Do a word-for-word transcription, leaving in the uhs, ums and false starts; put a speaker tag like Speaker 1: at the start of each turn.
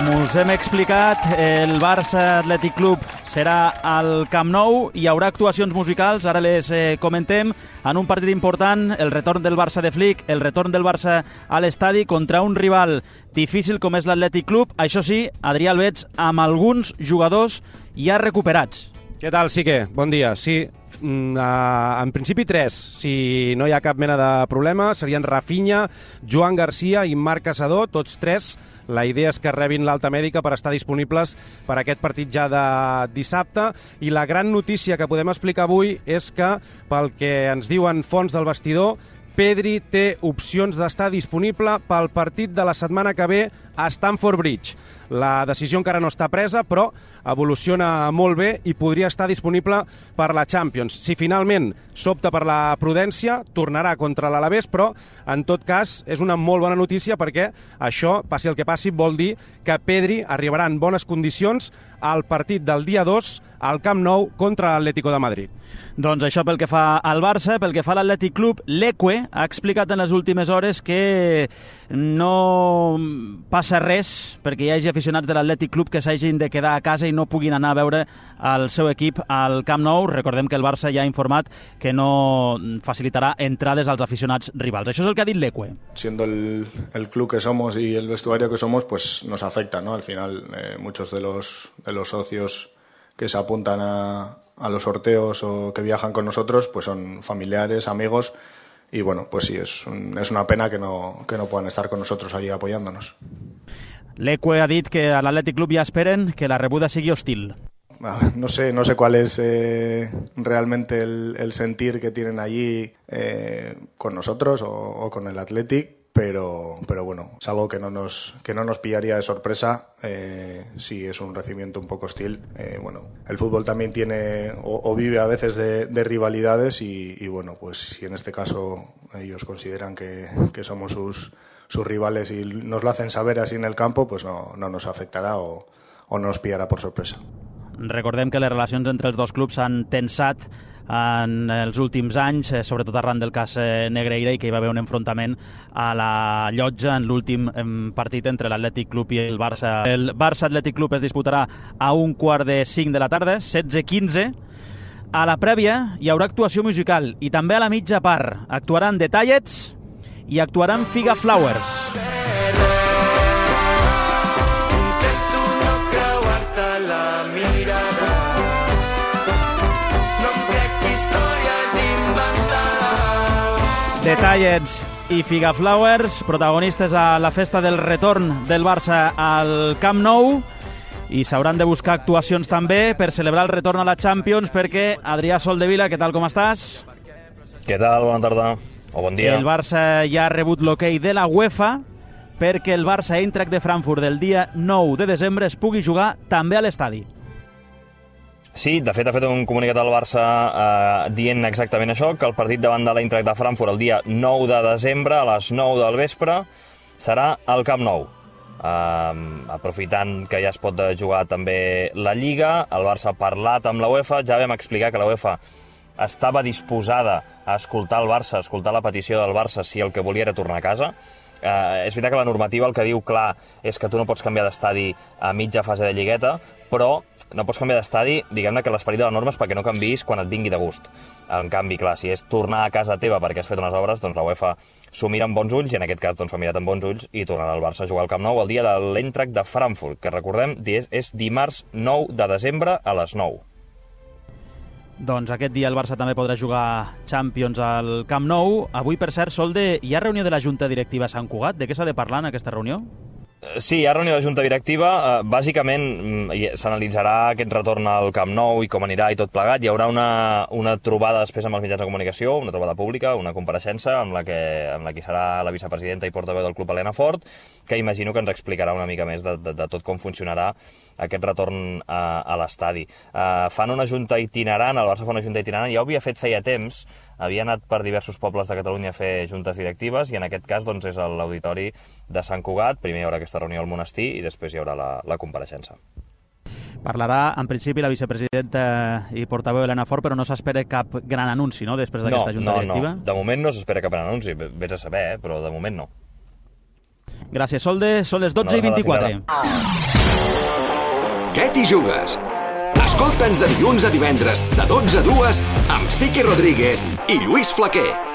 Speaker 1: Com us hem explicat, el Barça Atlètic Club serà al Camp Nou, hi haurà actuacions musicals, ara les eh, comentem, en un partit important, el retorn del Barça de Flick, el retorn del Barça a l'estadi contra un rival difícil com és l'Atlètic Club, això sí, Adrià Albets, amb alguns jugadors ja recuperats.
Speaker 2: Què tal, Sique? Bon dia. Sí, en principi tres, si no hi ha cap mena de problema, serien Rafinha, Joan Garcia i Marc Caçador, tots tres. La idea és que rebin l'alta mèdica per estar disponibles per aquest partit ja de dissabte. I la gran notícia que podem explicar avui és que, pel que ens diuen fonts del vestidor, Pedri té opcions d'estar disponible pel partit de la setmana que ve a Stamford Bridge. La decisió encara no està presa, però evoluciona molt bé i podria estar disponible per la Champions. Si finalment s'opta per la prudència, tornarà contra l'Alavés, però en tot cas és una molt bona notícia perquè això, passi el que passi, vol dir que Pedri arribarà en bones condicions al partit del dia dos al Camp Nou contra l'Atlético de Madrid.
Speaker 1: Doncs això pel que fa al Barça, pel que fa a l'Atlètic Club, l'Eque ha explicat en les últimes hores que no passa res perquè hi hagi aficionats de l'Atlètic Club que s'hagin de quedar a casa i no puguin anar a veure el seu equip al Camp Nou. Recordem que el Barça ja ha informat que no facilitarà entrades als aficionats rivals. Això és el que ha dit l'Eque.
Speaker 3: Siendo el, el club que somos y el vestuario que somos, pues nos afecta, ¿no? Al final, eh, muchos de los, de los socios que se apuntan a, a los sorteos o que viajan con nosotros, pues son familiares, amigos, y bueno, pues sí, es, un, es una pena que no, que no puedan estar con nosotros allí apoyándonos.
Speaker 1: L'Eque ha dit que a l'Atlètic Club ja esperen que la rebuda sigui hostil.
Speaker 3: No sé, no sé cuál es eh, realmente el, el sentir que tienen allí eh, con nosotros o, o con el Athletic, pero, pero bueno, es algo que no nos, que no nos pillaría de sorpresa eh, si es un recibimiento un poco hostil. Eh, bueno, el fútbol también tiene o, o vive a veces de, de rivalidades y, y bueno, pues si en este caso ellos consideran que, que somos sus, sus rivales y nos lo hacen saber así en el campo, pues no, no nos afectará o, o no nos pillarà por sorpresa.
Speaker 1: Recordem que les relacions entre els dos clubs s'han tensat en els últims anys, sobretot arran del cas Negreira, i que hi va haver un enfrontament a la Llotja en l'últim partit entre l'Atlètic Club i el Barça. El Barça Atlètic Club es disputarà a un quart de cinc de la tarda, setze quinze. A la prèvia hi haurà actuació musical i també a la mitja part actuaran The Tallets i actuaran Figa Flowers. The Tallets i Figa Flowers, protagonistes a la festa del retorn del Barça al Camp Nou, i s'hauran de buscar actuacions també per celebrar el retorn a la Champions, perquè Adrià Soldevila, què tal, com estàs?
Speaker 4: Què tal, bona tarda, o bon dia.
Speaker 1: El Barça ja ha rebut l'hoquei de la UEFA perquè el Barça Eintracht de Frankfurt del dia nou de desembre es pugui jugar també a l'estadi.
Speaker 4: Sí, de fet ha fet un comunicat al Barça eh, dient exactament això, que el partit davant de l'Eintracht de Frankfurt el dia nou de desembre a les nou del vespre serà al Camp Nou. Eh, aprofitant que ja es pot jugar també la Lliga, el Barça ha parlat amb la UEFA, ja vam explicar que la UEFA estava disposada a escoltar el Barça, a escoltar la petició del Barça si el que volia era tornar a casa. Eh, és veritat que la normativa el que diu clar és que tu no pots canviar d'estadi a mitja fase de lligueta, però no pots canviar d'estadi, diguem-ne que l'esperit de la norma és perquè no canviïs quan et vingui de gust. En canvi, clar, si és tornar a casa teva perquè has fet unes obres, doncs la UEFA s'ho mira amb bons ulls, i en aquest cas doncs, s'ho ha mirat amb bons ulls i tornarà el Barça a jugar al Camp Nou el dia de l'Eintracht de Frankfurt, que recordem és dimarts nou de desembre a les nou.
Speaker 1: Doncs aquest dia el Barça també podrà jugar Champions al Camp Nou. Avui, per cert, Solde, hi ha reunió de la Junta Directiva a Sant Cugat? De què s'ha de parlar en aquesta reunió?
Speaker 4: Sí, hi ha reunió de Junta Directiva. Bàsicament s'analitzarà aquest retorn al Camp Nou i com anirà i tot plegat. Hi haurà una, una trobada després amb els mitjans de comunicació, una trobada pública, una compareixença amb la que, amb la que serà la vicepresidenta i portaveu del club, Helena Fort, que imagino que ens explicarà una mica més de, de, de tot com funcionarà aquest retorn a, a l'estadi. Uh, fan una junta itinerant, el Barça fa una junta itinerant, ja ho havia fet feia temps, havia anat per diversos pobles de Catalunya a fer juntes directives, i en aquest cas doncs, és a l'auditori de Sant Cugat. Primer hi haurà aquesta reunió al monestir i després hi haurà la, la compareixença.
Speaker 1: Parlarà, en principi, la vicepresidenta i portaveu Helena Fort, però no s'espera cap gran anunci, no?, després d'aquesta
Speaker 4: no,
Speaker 1: junta
Speaker 4: no,
Speaker 1: directiva?
Speaker 4: No, de moment no s'espera cap gran anunci, vés a saber, eh? Però de moment no.
Speaker 1: Gràcies, Solde. Són les dotze i vint-i-quatre.
Speaker 5: Què t'hi jugues? Escolta'ns de dilluns a divendres, de dotze a dues, amb Siqui Rodríguez i Lluís Flaquer.